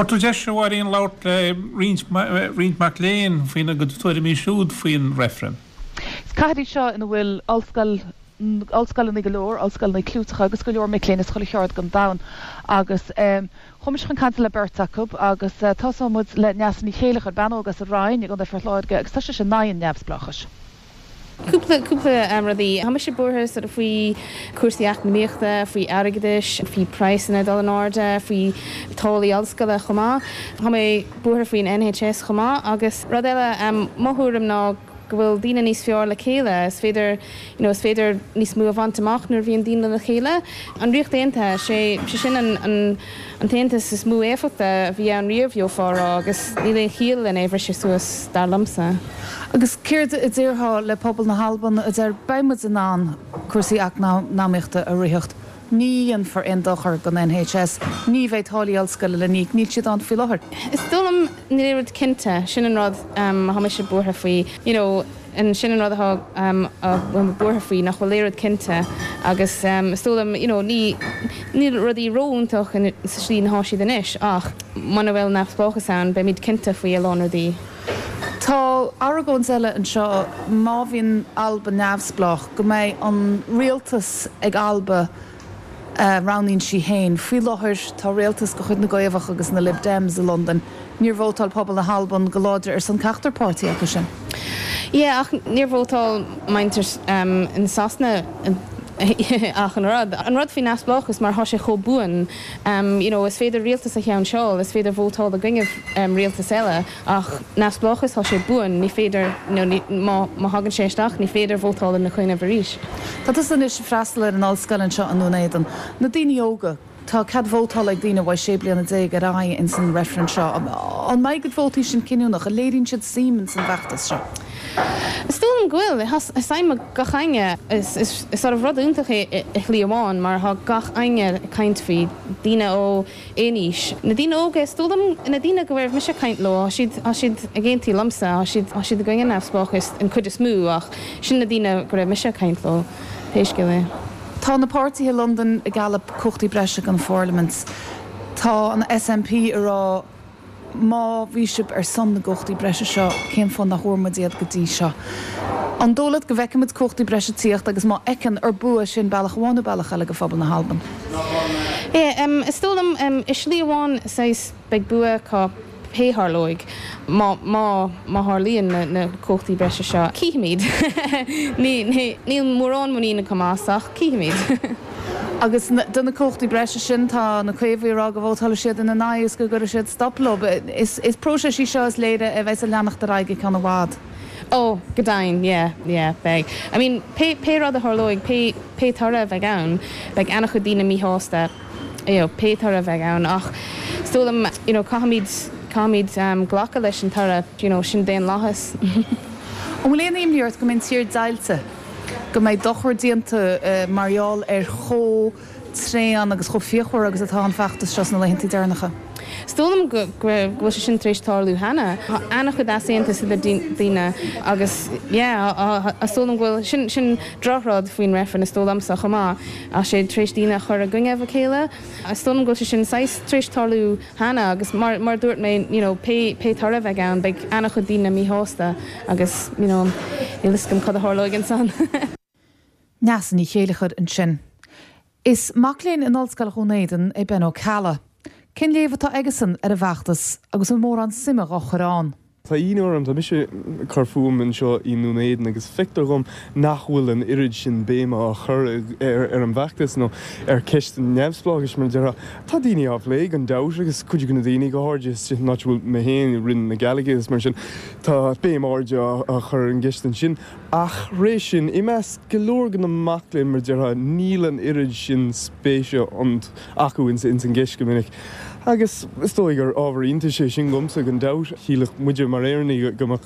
Fuair tú deis, a Mháirín, labhairt le roinnt, roinnt mac léinn faoina gcuid tuairimí siúd faoin reifreann. Is cathair í seo ina bhfuil ollscoil, ollscoileanna go leor, ollscoileanna clúiteacha agus go leor mic léinn as chuile cheard den domhan agus chuaigh mise chun cainte le beirt acu agus tosóidh muid le Neasa Ní Chéileachair, bean óg as an Rinn i gContae Phort Láirge agus tá sise in aghaidh an neamhspleáchais. Cúpla, cúpla rudaí. Tá mise buartha sort of faoi cúrsaí eacnamaíochta, faoi airgeadais, faoi praghsanna ag dul in airde, faoi táillí ollscoile chomh maith. Tá mé buartha faoin NHS chomh maith agus rud eile, mo thuairim ná go bhfuil daoine níos fearr le chéile. Is féidir, you know, is féidir níos mó a bhaint amach nuair a bhíonn daoine le chéile. An Ríocht Aontaithe, sé, sé sin an, an, an t-aontas is mó éifeachta a bhí ann riamh, gheofá a rá, agus níl aon chiall len é a bhriseadh suas, dar liomsa. Agus céard a déarfá le pobal na hAlban a deir beidh muid in ann cúrsaí eacnamaíochta a ritheacht, ní dhéanfar aon dochar don NHS, ní bheidh táillí ollscoile le n-íoc, níl siad ann faoi láthair. Is dóigh liom, níl aon rud cinnte, sin an rud atá mise buartha faoi, you know. Sin an rud atá a bhfuil mé buartha faoi, nach bhfuil aon rud cinnte agus is dóigh liom, you know, ní, níl rudaí ró-iontach sa slí atá siad anois ach muna bhfuil neamhspleáchas ann, beimid cinnte faoi a lán rudaí. Tá argóint eile anseo, má bhíonn Alba neamhspleách, go mbeidh an rialtas ag Alba a roghnaíonn sí féin. Faoi láthair, tá rialtas de chuid na gCaomhach agus na Lib Dems i Londain. Níor vótáil pobal na hAlban go láidir ar son ceachtar páirtí acu sin. Yeah, ach níor vótáil muintir in Sasana ach an rud. An rud faoi neamhspleáchas mar tá sé chomh buan, you know, is féidir rialtas a cheanseáil, is féidir vótáil i gcoinnibh rialtas eile. Ach neamhspleáchas, tá sé buan, ní féidir, nó ní, má, má thagann sé isteach, ní féidir vótáil ina choinnibh arís. Tá tusa anois ag freastal ar an ollscoil anseo i nDún Éideann. Na daoine óga, tá cead vótála ag daoine ó 16 bliana ar aghaidh ins an reifreann seo. An mbeidh a gcuid vótaí sin cinniúnach? An léiríonn siad suim ins an bhfeachtas seo? Is dóigh liom go bhfuil. Tá suim ag gach éinne. Is, is, is sort of rud iontach é i shlí amháin mar tá gach éinne ag caint faoi, daoine ó, aon aois. Na daoine óga, is dóigh liom, na daoine go raibh mise ag caint leo, tá siad, tá siad ag aontú liomsa, tá siad, tá siad i gcoinne neamhspleáchais an cuid is mó ach sin na daoine go raibh mise ag caint leo, pé scéal é. Tá na páirtithe i Londain ag gealladh cumhachtaí breise don pharlaimint. Tá an SNP ag rá Má bhí sibh ar son na gcumhachtaí breise seo, cén fáth nach bhfuair muid iad go dtí seo? An dóigh leat go bhfeicfidh muid cumhachtaí breise ag tíocht agus má fheiceann, ar bua sin bealach amháin nó bealach eile do phobal na hAlban? Yeah, is dóigh liom, i slí amháin, saghas, beidh bua acu pé tharlóidh, má, má, má tharlaíonn na, na cumhachtaí breise seo. Cífimid. Ní, ní, níl mórán muinín agam as ach cífimid. Agus do na cumhachtaí breise sin, tá na Caomhaigh ag rá go vótálfaidh siad ina n-aghaidh is go gcuirfidh siad stop leo. Is próiseas í seo is léir a bheas ag leanacht ar aghaidh go ceann i bhfad. Oh, go deimhin, yeah, yeah, beidh. I mean, pé, pé rud a tharlóidh, pé, pé toradh a bheidh ann, beidh an-chuid daoine míshásta, you know, pé toradh a bheidh ann. Ach is dóigh liom, you know, caithfimid, caithfimid glacadh leis an toradh, you know, sin daonlathas. An bhfuil aon imní ort go mbeidh an tír deighilte? go mbeidh dochar déanta mar gheall ar chomh tréan agus chomh fíochmhar agus atá an feachtas seo sna laethanta deireanacha. Is dóigh liom go bhfuil sé sin tar éis tarlú cheana. Tá an-chuid easaontas idir daoine agus yeah, is dóigh liom go bhfuil, sin, sin drochrud faoin reifreann is dóigh liomsa chomh maith, tá sé tar éis daoine a chur i gcoinnibh a chéile. Is dóigh liom go bhfuil sé sin saghas tar éis tarlú cheana agus mar mar a dúirt mé you know pé pé toradh a bheidh ann beidh an-chuid daoine míshásta agus you know níl fhios agam cad a tharlóidh ansan. Neasa Ní Chéileachair ansin. Is mac léinn in Ollscoil Dhún Éideann é Ben Ó Ceallaigh. Cén léamh atá aigesan ar an bhfeachtas agus an mórán suime dhá chur ann? Tá ionadh orm, tá mise ag cur fúm anseo i nDún Éideann agus feictear dhom nach bhfuil an oiread sin béime á chur ar an bhfeachtas nó ar cheist an neamhspleáchais mar a déarfá. Tá daoine á phlé gan dabht agus cuid de na daoine, go háirithe san áit a bhfuil mé féin, i Rinn na Gàidhlige agus mar sin, tá béim áirithe á chur ar an gceist ansin. Ach thairis sin, i measc go leor de na mac léinn mar a déarfá, níl an oiread sin spéise acu ins an gceist go minic. Agus is dóigh gur ábhar iontais é sin dhomsa, gan dabht. Shílfeadh muide mar Éireannaigh go mbeadh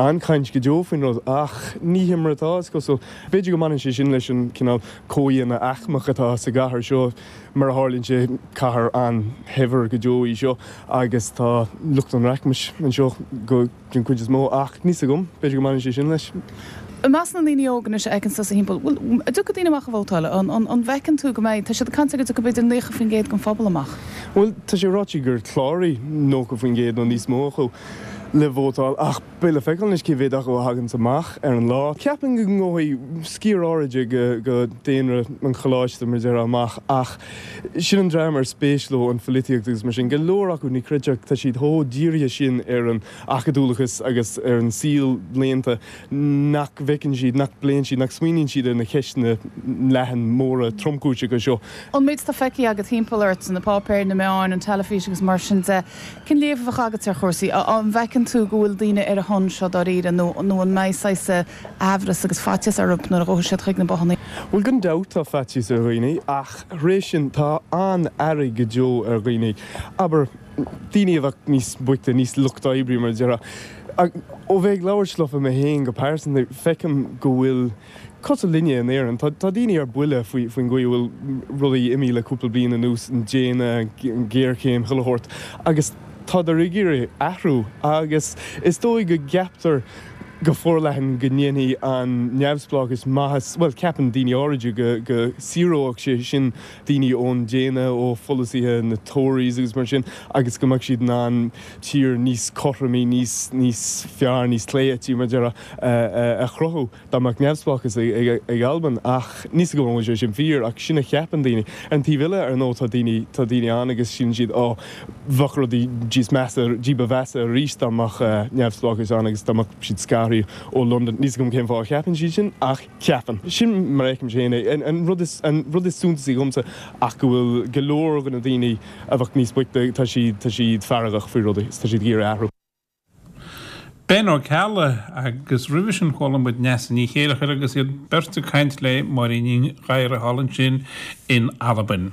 an-chaint go deo faoin rud, ach ní hin mar atá, is cosúil. B'fhéidir go mbaineann sé sin leis an cineál comhdhéanamh aicmeach atá sa gcathair seo. Mar a tharlaíonn sé, cathair an-shaibhir go deo í seo agus tá lucht an rachmais anseo go. den chuid is mó, ach níl 's agam, b'fhéidir go mbaineann sé sin leis. I measc na ndaoine óga anois a fheiceann tusa thimpeall, bhfuil, an dtiocfaidh daoine amach a vótáil? An, an, an bhfeiceann tú go mbeidh, tá siad ag caint ar go dtiocfaidh b'fhéidir 90% den phobal amach? Bhuel, tá sé ráite gur chláraigh 90% nó níos mó acu le vótáil ach beidh le feiceáil anois cé mhéad acu a thaganns amach ar an lá. Ceapaim go ngabhfaidh sciar áirid de dhaonra an choláiste, mar a déarfá, amach ach sin an dream ar spéis leo an pholaitíocht agus mar sin. Go leor acu, ní chreidfeá, tá siad chomh dírithe sin ar an acadúlachas agus ar an saol léannta nach bhfeiceann siad, nach bpléann siad, nach smaoiníonn siad ar na ceisteanna leathan móra tromchúiseacha seo. An méid atá feicthe agat timpeall ort, na páipéir, na meáin, an teilifís agus mar sin de, cén léamh a bheadh agat ar chúrsaí? An bhfeiceann tú go bhfuil daoine ar a shon seo dáiríre nó nó an mbeidh saghas aimhreas agus faitíos orthu nuair a ghabhfaidh siad chuig na bothanna? Bhuel, gan dabht tá faitíos ar dhaoine ach th'réis sin tá an-fhearg go deo ar dhaoine. Abair. daoine a bheadh níos boichte, níos lucht oibre mar a déarfá. Ó bheith ag labhairt leofa mé féin go pearsanta, feicim go bhfuil, cosúil linne in Éirinn, tá daoine ar buile faoin gcaoi a bhfuil rudaí imithe le cúpla bliain anuas, an déine, an ghéarchéim, chuile shórt, agus tádar ag iarraidh athrú agus is dóigh go gceaptar go forleathan go ndéanfaidh an neamhspleáchas maitheas, bhuel, ceapann daoine áiride go go saoródh sé sin daoine ón déine, ó pholasaithe na Tories agus mar sin, agus go mbeadh siad in ann tír níos cothromaí, níos, níos fearr, níos clé-eití, mar a déarfá, a chruthú dá mbeadh neamhspleáchas ag Albain. Ach níl 's agam an bhfuil sé sin fíor, ach sin a cheapann daoine. Ar an taobh eile, ar ndóigh, tá daoine, tá daoine ann agus síleann siad, á, bheadh rudaí níos measa, ní ba mheasa arís dá mbeadh neamhspleáchas ann agus dá mbeadh siad scartha ó Londain. Níl 's agam cén fáth a cheapann siad sin, ach. Ceapaim. Sin mar a fheicimse féin é. An rud is, an rud is suntasaí dhomsa ach go bhfuil go leor de na daoine a bheadh níos boichte, tá siad, tá siad feargach faoi rudaí is tá siad ag iarraidh athrú. Ben Ó Ceallaigh agus roimhe sin chuala muid Neasa Ní Chéileachair agus iad beirt ag caint le Máirín Ní Ghadhra thall ansin in Albain.